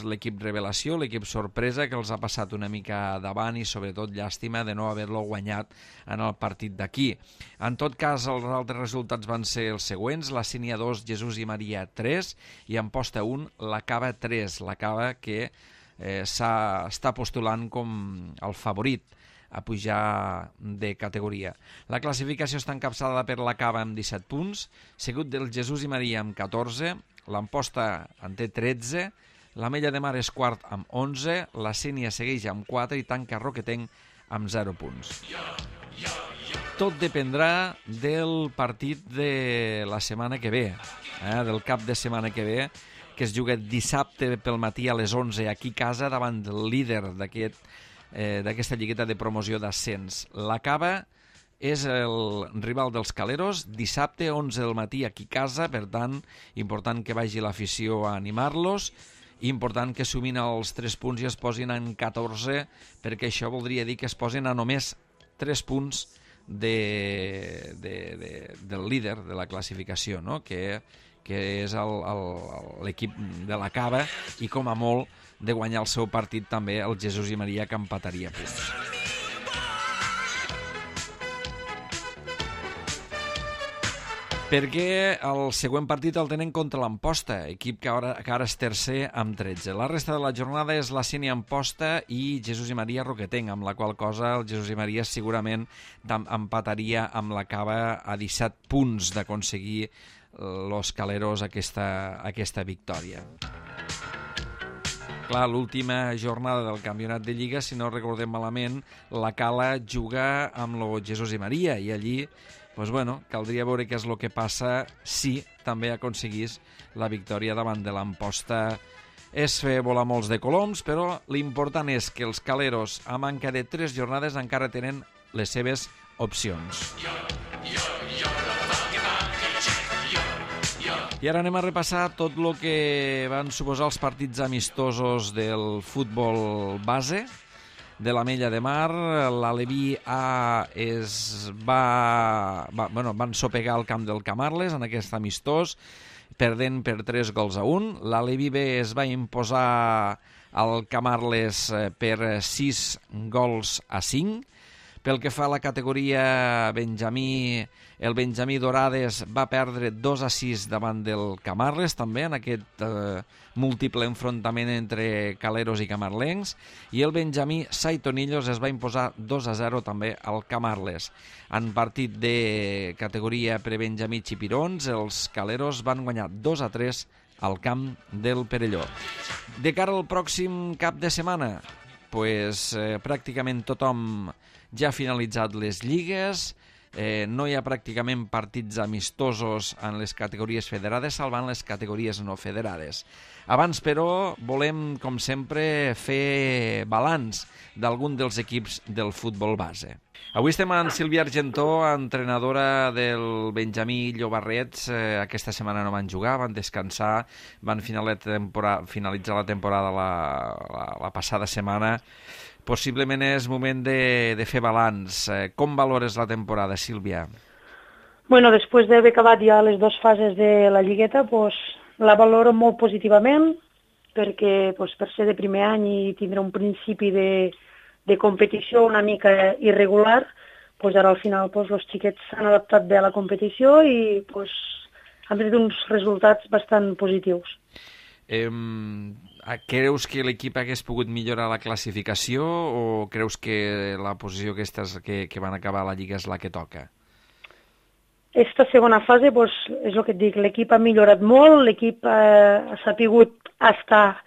l'equip revelació, l'equip sorpresa, que els ha passat una mica davant i sobretot llàstima de no haver-lo guanyat en el partit d'aquí. En tot cas, els altres resultats van ser els següents: la Sínia 2, Jesús i Maria 3 i Amposta 1, la Cava 3, la Cava que està postulant com el favorit a pujar de categoria. La classificació està encapçalada per la Cava amb 17 punts, seguit del Jesús i Maria amb 14, l'Amposta en té 13, l'Ametlla de Mar és quart amb 11, la Sínia segueix amb 4 i tanca Roquetenc amb 0 punts. Tot dependrà del partit de la setmana que ve, del cap de setmana que ve, que es juga dissabte pel matí a les 11 aquí a casa davant del líder d'aquesta lligueta de promoció d'ascens. La Cava és el rival dels Caleros, dissabte 11 del matí aquí a casa, per tant, important que vagi l'afició a animar-los, i important que sumin els 3 punts i es posin en 14, perquè això voldria dir que es posin a només 3 punts del líder de la classificació, no? que és l'equip de la Cava, i com a molt de guanyar el seu partit també el Jesús i Maria, que empataria punts. Perquè el següent partit el tenen contra l'Amposta, equip que ara és tercer amb 13. La resta de la jornada és la Sínia Amposta i Jesús i Maria Roquetenc, amb la qual cosa el Jesús i Maria segurament empataria amb la Cava a 17 punts d'aconseguir los Caleros aquesta victòria. Clar, l'última jornada del campionat de Lliga, si no recordem malament, la Cala juga amb el Jesús i Maria, i allí caldria veure què és el que passa si també aconseguís la victòria davant de l'Amposta. És fer volar molts de coloms, però l'important és que els Caleros, a manca de 3 jornades, encara tenen les seves opcions. I ara anem a repassar tot el que van suposar els partits amistosos del futbol base de l'Ametlla de Mar. L'Aleví A van sopegar al camp del Camarles en aquest amistós, perdent per 3-1. L'Aleví B es va imposar al Camarles per 6-5. Pel que fa a la categoria Benjamí, el Benjamí Dorades va perdre 2-6 davant del Camarles, també en aquest múltiple enfrontament entre caleros i camarlencs, i el Benjamí Saitonillos es va imposar 2-0 també al Camarles. En partit de categoria prebenjamí Xipirons, els caleros van guanyar 2-3 al camp del Perelló. De cara al pròxim cap de setmana, pràcticament tothom ja ha finalitzat les lligues, no hi ha pràcticament partits amistosos en les categories federades, salvant les categories no federades. Abans, però, volem, com sempre, fer balanç d'algun dels equips del futbol base. Avui estem amb Sílvia Argentó, entrenadora del Benjamí Llobarrets. Aquesta setmana no van jugar, van descansar, van finalitzar la temporada la passada setmana. Possiblement és moment de fer balanç. Com valores la temporada, Sílvia? Bueno, després d'haver acabat ja les 2 fases de la lligueta, la valoro molt positivament, perquè per ser de primer any i tindre un principi de competició una mica irregular, ara al final els xiquets s'han adaptat bé a la competició i han tret uns resultats bastant positius. Creus que l'equip hagués pogut millorar la classificació o creus que la posició que van acabar a la Lliga és la que toca? Esta segona fase, és el que et dic, l'equip ha millorat molt, l'equip ha sapigut estar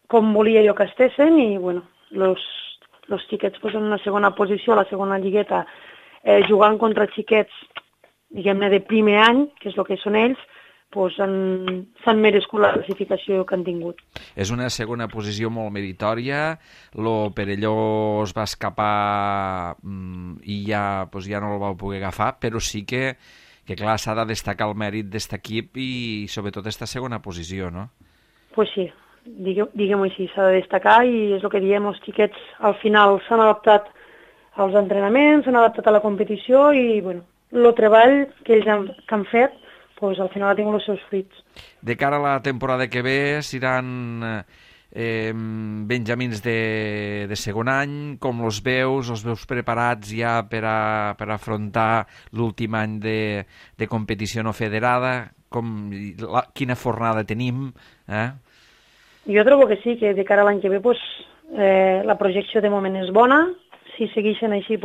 com volia jo que estessin i, els xiquets en una segona posició, a la segona lligueta, jugant contra xiquets, diguem-ne, de primer any, que és el que són ells, s'han merescut la classificació que han tingut. És una segona posició molt meritòria. Lo Perelló es va escapar i ja no el vau poder agafar, però sí que clar, s'ha de destacar el mèrit d'aquest equip i sobretot aquesta segona posició, no? Pues sí, diguem-ho així, s'ha de destacar i és el que diem, els xiquets al final s'han adaptat als entrenaments, s'han adaptat a la competició i, bueno, el treball que ells han fet, doncs al final ha tingut els seus fruits. De cara a la temporada que ve, seran benjamins de segon any, com els veus preparats ja per afrontar l'últim any de competició no federada? Quina fornada tenim? Jo trobo que sí, que de cara a l'any que ve la projecció de moment és bona. Si segueixen així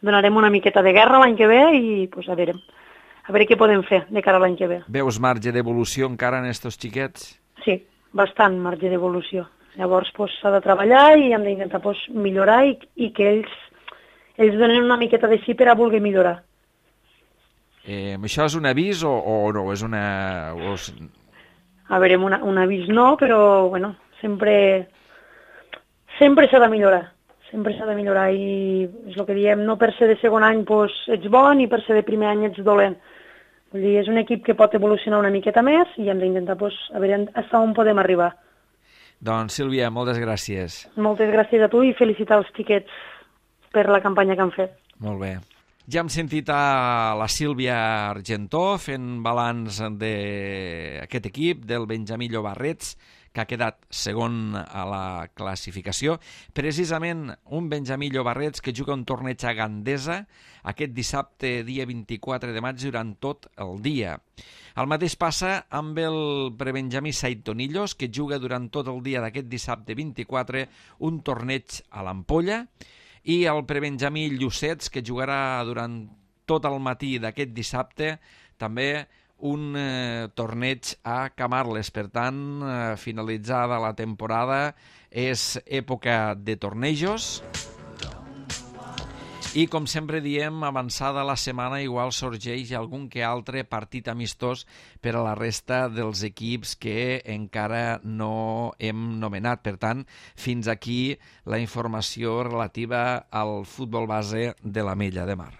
donarem una miqueta de guerra l'any que ve i a veure què podem fer de cara a l'any que ve. Veus marge d'evolució encara en estos xiquets? Sí, bastant marge d'evolució. Llavors s'ha de treballar i hem d'intentar millorar i que ells donen una miqueta de sí per a voler millorar. Això és un avís o no? És una... A veure, un avís no, però bueno, sempre s'ha de millorar. Sempre s'ha de millorar i és el que diem, no per ser de segon any ets bo ni per ser de primer any ets dolent. Vull dir, és un equip que pot evolucionar una miqueta més i hem d'intentar a veure fins on podem arribar. Doncs Sílvia, moltes gràcies. Moltes gràcies a tu i felicitar els xiquets per la campanya que han fet. Molt bé. Ja hem sentit a la Sílvia Argentó fent balanç d'aquest equip, del Benjamí Llobarrets, que ha quedat segon a la classificació. Precisament un Benjamí Llobarrets que juga un torneig a Gandesa aquest dissabte, dia 24 de maig, durant tot el dia. El mateix passa amb el prebenjamí Saitonillos, que juga durant tot el dia d'aquest dissabte 24 un torneig a l'Ampolla, i el prebenjamí Llucets, que jugarà durant tot el matí d'aquest dissabte, també un torneig a Camarles. Per tant, finalitzada la temporada, és època de tornejos. I, com sempre diem, avançada la setmana, igual sorgeix algun que altre partit amistós per a la resta dels equips que encara no hem nomenat. Per tant, fins aquí la informació relativa al futbol base de l'Ametlla de Mar.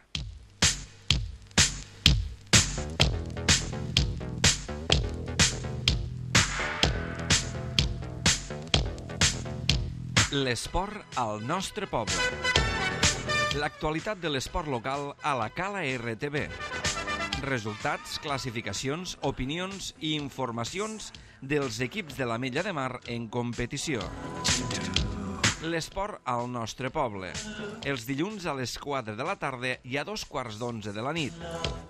L'esport al nostre poble. L'actualitat de l'esport local a la Cala RTV. Resultats, classificacions, opinions i informacions dels equips de l'Ametlla de Mar en competició. L'esport al nostre poble. Els dilluns a les 4 de la tarda i a 2:15 de la nit.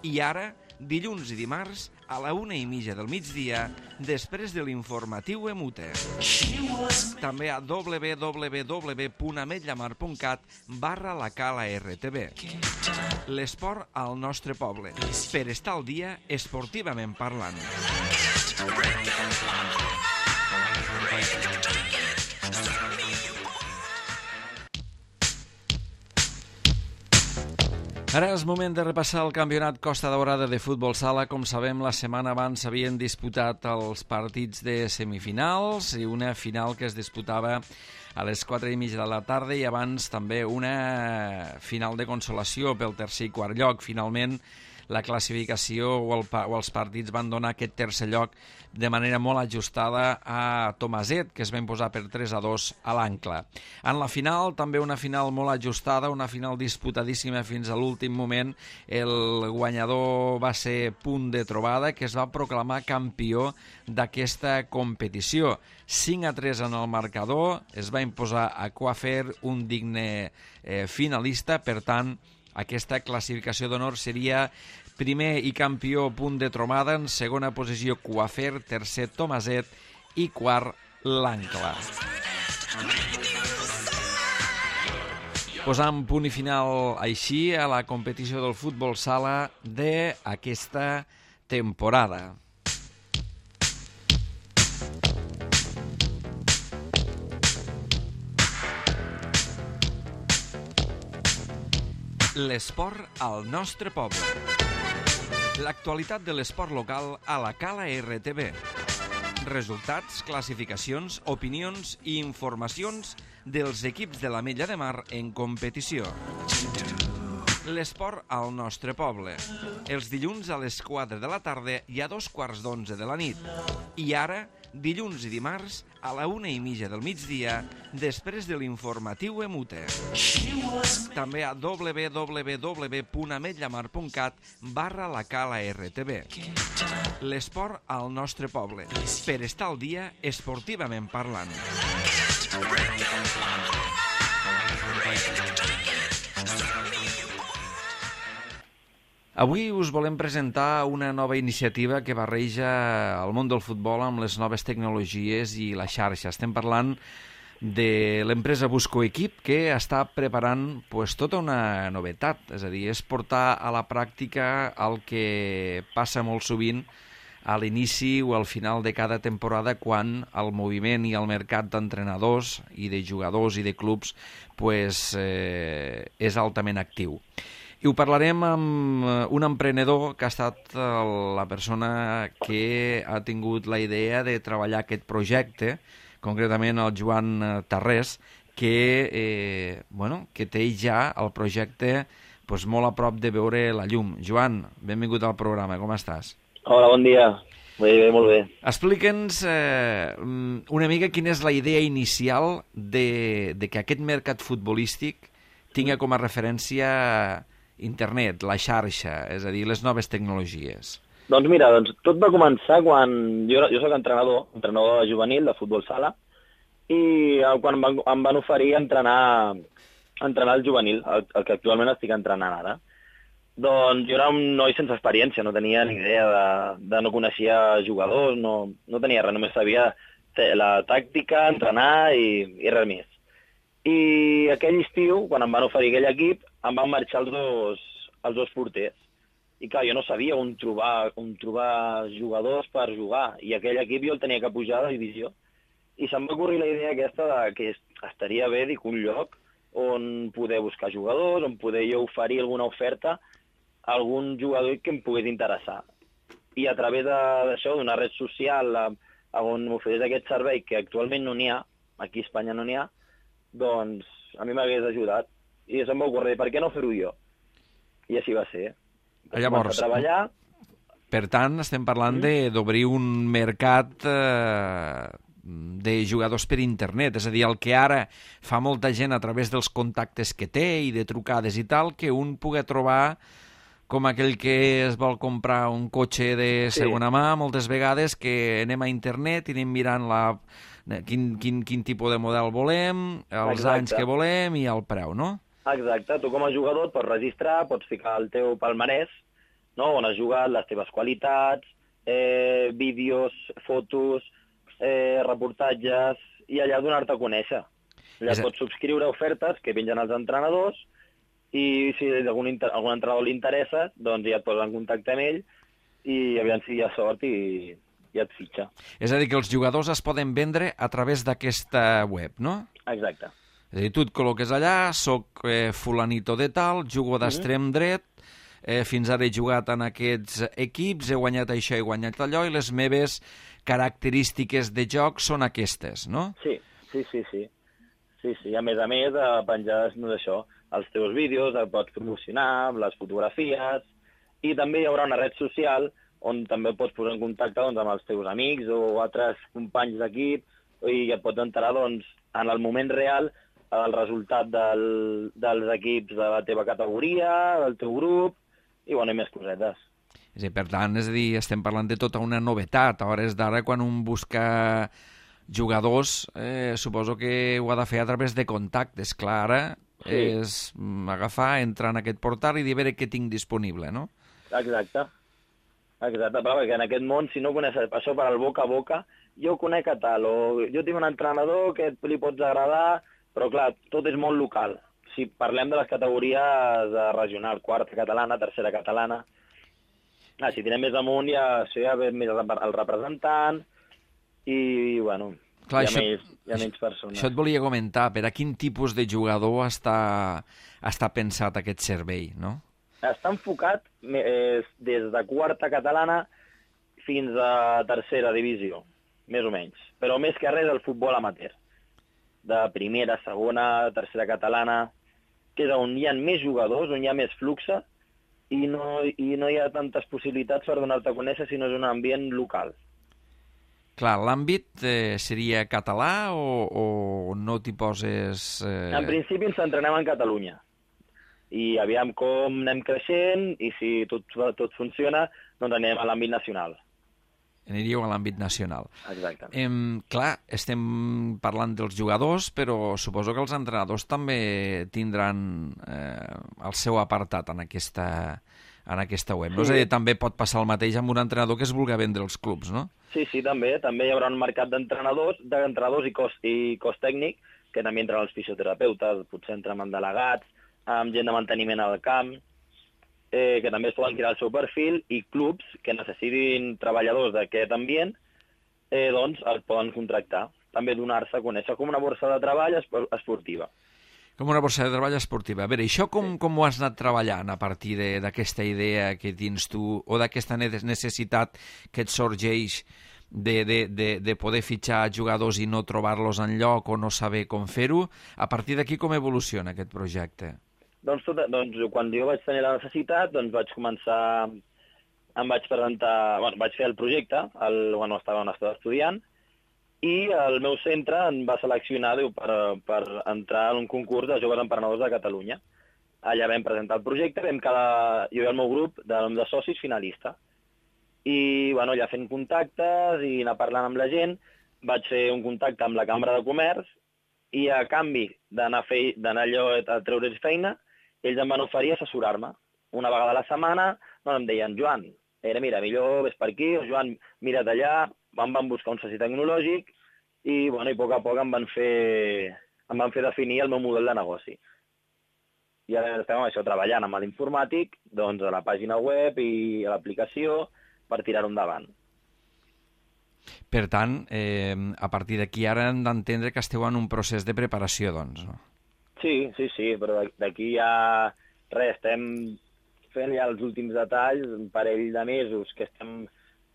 I ara, dilluns i dimarts, a la 1:30 del migdia, després de l'informatiu EMUTE. També a www.ametllamar.cat/la Cala RTV. L'esport al nostre poble. Per estar al dia, esportivament parlant. Ara és moment de repassar el campionat Costa Daurada de futbol sala. Com sabem, la setmana abans s'havien disputat els partits de semifinals i una final que es disputava a les 4:30 de la tarda i abans també una final de consolació pel tercer i quart lloc. Finalment, la classificació o els partits van donar aquest tercer lloc de manera molt ajustada a Tomaset, que es va imposar per 3-2 a l'Ancla. En la final, també una final molt ajustada, una final disputadíssima fins a l'últim moment. El guanyador va ser Punt de Trobada, que es va proclamar campió d'aquesta competició. 5-3 en el marcador, es va imposar a Coafer, un digne finalista. Per tant, aquesta classificació d'honor seria primer i campió Punt de Trobada, en segona posició Coafer, tercer Tomaset i quart l'Ancla. Posant punt i final així a la competició del futbol sala d'aquesta temporada. L'esport al nostre poble. L'actualitat de l'esport local a la Cala RTV. Resultats, classificacions, opinions i informacions dels equips de l'Ametlla de Mar en competició. L'esport al nostre poble. Els dilluns a les 4 de la tarda i a 2:15 de la nit. I ara, dilluns i dimarts a la 1:30 del migdia, després de l'informatiu Emute. També a www.ametlllamar.cat/la L'esport al nostre poble, per estar al dia esportivament parlant. Avui us volem presentar una nova iniciativa que barreja el món del futbol amb les noves tecnologies i la xarxa. Estem parlant de l'empresa Busco Equip, que està preparant tota una novetat, és a dir, és portar a la pràctica el que passa molt sovint a l'inici o al final de cada temporada, quan el moviment i el mercat d'entrenadors i de jugadors i de clubs és altament actiu. I ho parlarem amb un emprenedor que ha estat la persona que ha tingut la idea de treballar aquest projecte, concretament el Joan Tarrés, que té ja el projecte molt a prop de veure la llum. Joan, benvingut al programa, com estàs? Hola, bon dia. Bé, molt bé. Explica'ns una mica quina és la idea inicial de que aquest mercat futbolístic tingui com a referència internet, la xarxa, és a dir, les noves tecnologies. Doncs mira, tot va començar quan jo soc entrenador juvenil de futbol sala, i quan em van oferir entrenar el juvenil, el que actualment estic entrenant ara. Doncs jo era un noi sense experiència, no tenia ni idea no coneixia jugadors, no tenia res, només sabia la tàctica, entrenar i res més. I aquell estiu, quan em van oferir aquell equip, em van marxar els dos porters. I clar, jo no sabia on trobar jugadors per jugar, i aquell equip jo el tenia que pujar de divisió. I se'm va ocorrir la idea aquesta que estaria bé, dic, un lloc on poder buscar jugadors, on poder jo oferir alguna oferta a algun jugador que em pogués interessar. I a través d'això, d'una red social on m'ofereix aquest servei, que actualment no n'hi ha, aquí a Espanya no n'hi ha, doncs a mi m'hagués ajudat. I se'm va ocórrer, per què no fer-ho jo? I així va ser. Llavors, a treballar. Per tant, estem parlant d'obrir un mercat de jugadors per internet, és a dir, el que ara fa molta gent a través dels contactes que té i de trucades i tal, que un pugui trobar com aquell que es vol comprar un cotxe de segona mà, moltes vegades que anem a internet i anem mirant quin tipus de model volem, els anys que volem i el preu, no? Exacte, tu com a jugador et pots registrar, pots ficar el teu palmarès, no? On has jugat, les teves qualitats, vídeos, fotos, reportatges, i allà donar-te a conèixer. Allà pots subscriure ofertes que pengen els entrenadors, i si algun entrenador li interessa, doncs ja et poses en contacte amb ell i aviam si hi ha sort i et fitxa. És a dir, que els jugadors es poden vendre a través d'aquesta web, no? Exacte. És a dir, tu et col·loques allà, soc fulanito de tal, jugo d'extrem dret, fins ara he jugat en aquests equips, he guanyat això, he guanyat allò, i les meves característiques de joc són aquestes, no? Sí. A més, penjar això, els teus vídeos, els pots promocionar, les fotografies, i també hi haurà una red social on també pots posar en contacte amb els teus amics o altres companys d'equip, i et pots enterar en el moment real el resultat dels equips de la teva categoria, del teu grup, i més cosetes. Per tant, estem parlant de tota una novetat. A hores d'ara, quan un busca jugadors, suposo que ho ha de fer a través de contactes. Clar, ara és agafar, entrar en aquest portal i dir a veure què tinc disponible, no? Exacte, perquè en aquest món, si no coneixes això per al boca a boca, jo conec a tal, o jo tinc un entrenador que li pots agradar, però clar, tot és molt local. Si parlem de les categories regional, quarta catalana, tercera catalana, si tirem més amunt ja ve més el representant i, clar, hi ha menys persones. Això et volia comentar, per a quin tipus de jugador està pensat aquest servei, no? Està enfocat des de quarta catalana fins a tercera divisió, més o menys. Però més que res el futbol amateur. De primera, segona, tercera catalana, que és on hi ha més jugadors, on hi ha més fluxe, i no hi ha tantes possibilitats per donar-te a conèixer si no és un ambient local. Clar, l'àmbit seria català o no t'hi poses... En principi ens entrenem en Catalunya. I aviam com anem creixent i si tot funciona, doncs anem a l'àmbit nacional. Aniríeu a l'àmbit nacional. Exacte. Clar, estem parlant dels jugadors, però suposo que els entrenadors també tindran el seu apartat en aquesta web. Sí. No? És a dir, també pot passar el mateix amb un entrenador que es vulgui vendre els clubs, no? Sí, també hi haurà un mercat d'entrenadors i cos tècnic, que també entren els fisioterapeutes, potser entren amb delegats, amb gent de manteniment al camp, que també es poden crear el seu perfil, i clubs que necessitin treballadors d'aquest ambient, doncs el poden contractar. També donar-se a conèixer com una borsa de treball esportiva. Com una borsa de treball esportiva. A veure, això com ho has anat treballant a partir d'aquesta idea que tens tu o d'aquesta necessitat que et sorgeix de poder fitxar jugadors i no trobar-los enlloc o no saber com fer-ho? A partir d'aquí com evoluciona aquest projecte? Doncs quan jo vaig tenir la necessitat, vaig començar, vaig fer el projecte quan estava estudiant, i el meu centre em va seleccionar per entrar en un concurs de joves emprenedors de Catalunya. Allà vam presentar el projecte, jo i el meu grup de socis finalista. I allà fent contactes i anar parlant amb la gent, vaig fer un contacte amb la Cambra de Comerç i a canvi d'anar allò a treure's feina, ells em van oferir assessorar-me. Una vegada a la setmana em deien, Joan, mira, millor ves per aquí, o Joan, mira't allà, em van buscar un soci tecnològic i a poc a poc em van fer definir el meu model de negoci. I ara estem treballant amb l'informàtic, a la pàgina web i a l'aplicació per tirar-ho endavant. Per tant, a partir d'aquí ara hem d'entendre que esteu en un procés de preparació, doncs, no? Sí, però d'aquí ja estem fent ja els últims detalls, un parell de mesos que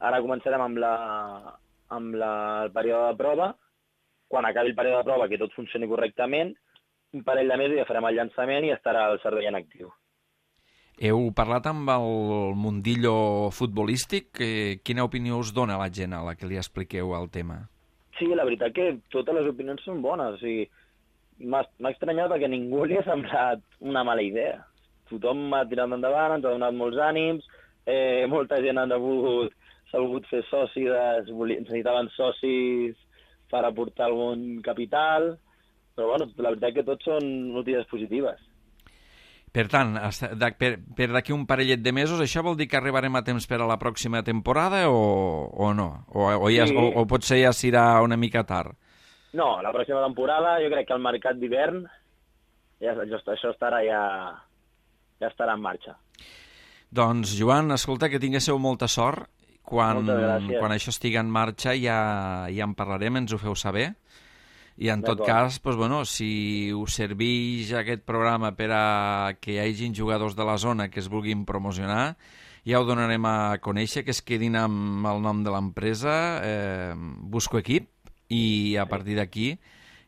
ara començarem amb el període de prova. Quan acabi el període de prova, que tot funcioni correctament, un parell de mesos ja farem el llançament i estarà el servei en actiu. Heu parlat amb el mundillo futbolístic? Quina opinió us dona la gent a la que li expliqueu el tema? Sí, la veritat que totes les opinions són bones. O sigui, m'ha estranyat perquè ningú li ha semblat una mala idea. Tothom m'ha tirat endavant, ens ha donat molts ànims, molta gent s'ha volgut fer soci, necessitaven socis per aportar algun capital, però la veritat que tots són notícies positives. Per tant, per d'aquí un parellet de mesos, això vol dir que arribarem a temps per a la pròxima temporada o no? O potser ja serà una mica tard? No, la pròxima temporada jo crec que el mercat d'hivern això ja estarà en marxa. Doncs, Joan, escolta, que tinguéssiu molta sort. Quan això estigui en marxa ja en parlarem, ens ho feu saber. I en tot cas, si us serveix aquest programa per a que hi hagin jugadors de la zona que es vulguin promocionar, ja ho donarem a conèixer, que es quedin amb el nom de l'empresa, Busco Equip, i a partir d'aquí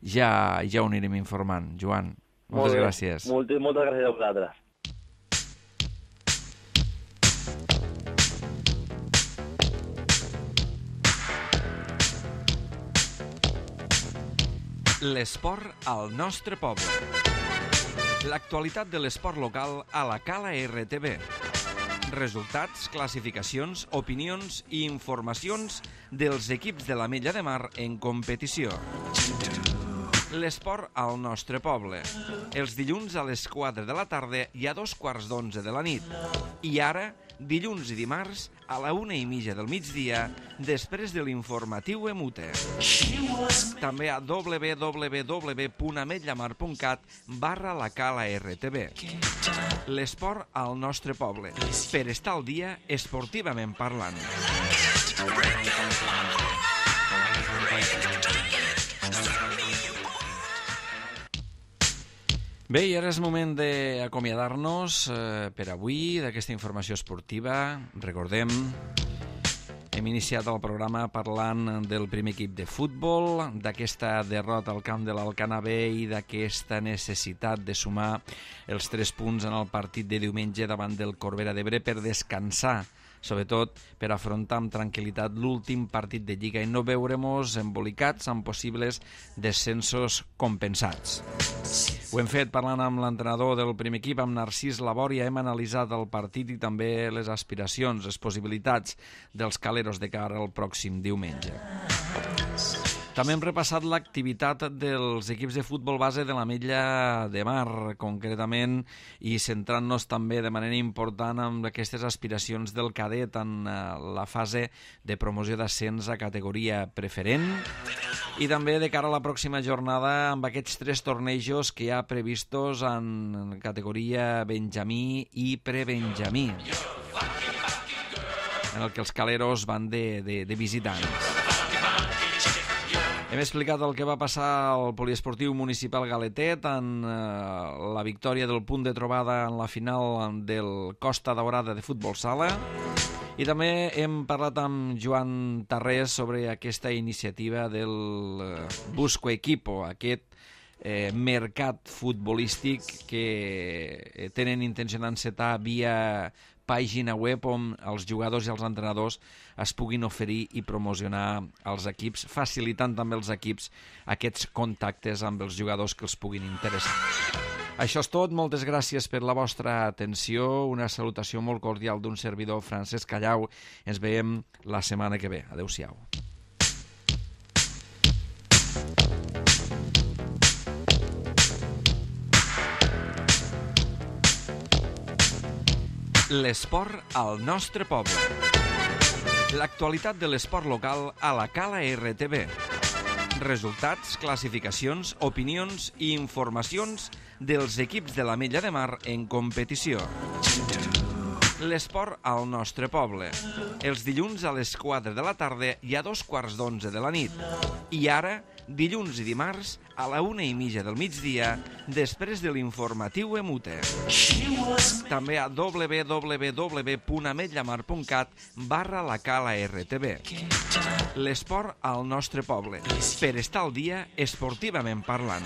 ja ho anirem informant. Joan, moltes gràcies. Moltes gràcies a vosaltres. L'esport al nostre poble. L'actualitat de l'esport local a la Cala RTV. Resultats, classificacions, opinions i informacions dels equips de l'Ametlla de Mar en competició. L'esport al nostre poble. Els dilluns a les 4 de la tarda i a 2:15 de la nit. I ara, dilluns i dimarts, a la 1:30 del migdia, després de l'informatiu EMUTE. També a www.ametllamar.cat/la Cala RTV. L'esport al nostre poble. Per estar al dia, esportivament parlant. Bé, i ara és moment d'acomiadar-nos per avui d'aquesta informació esportiva. Recordem, hem iniciat el programa parlant del primer equip de futbol, d'aquesta derrota al camp de l'Alcanar B i d'aquesta necessitat de sumar els 3 punts en el partit de diumenge davant del Corbera d'Ebre per descansar sobretot per afrontar amb tranquil·litat l'últim partit de Lliga i no veure-mos embolicats amb possibles descensos compensats. Ho hem fet parlant amb l'entrenador del primer equip, amb Narcís Labòria. Hem analitzat el partit i també les aspiracions, les possibilitats dels caleros de cara al pròxim diumenge. També hem repassat l'activitat dels equips de futbol base de l'Ametlla de Mar, concretament, i centrant-nos també de manera important en aquestes aspiracions del cadet en la fase de promoció d'ascens a categoria preferent i també de cara a la pròxima jornada amb aquests 3 tornejos que hi ha previstos en categoria Benjamí i prebenjamí, en el que els caleros van de visitants. Hem explicat el que va passar al poliesportiu municipal Galetet en la victòria del punt de trobada en la final del Costa Daurada de futbol sala i també hem parlat amb Joan Tarrés sobre aquesta iniciativa del Busco Equipo, aquest mercat futbolístic que tenen intenció d'encetar via pàgina web on els jugadors i els entrenadors es puguin oferir i promocionar els equips, facilitant també els equips aquests contactes amb els jugadors que els puguin interessar. Això és tot, moltes gràcies per la vostra atenció, una salutació molt cordial d'un servidor, Francesc Callau. Ens veiem la setmana que ve. Adéu-siau. L'esport al nostre poble. L'actualitat de l'esport local a la Cala RTV. Resultats, classificacions, opinions i informacions dels equips de l'Ametlla de Mar en competició. L'esport al nostre poble. Els dilluns a les 4 de la tarda i a 2:15 de la nit. I ara, dilluns i dimarts a la 1:30 del migdia, després de l'informatiu EMUTE. També a www.ametllamar.cat/la Cala RTV. L'esport al nostre poble, per estar al dia esportivament parlant.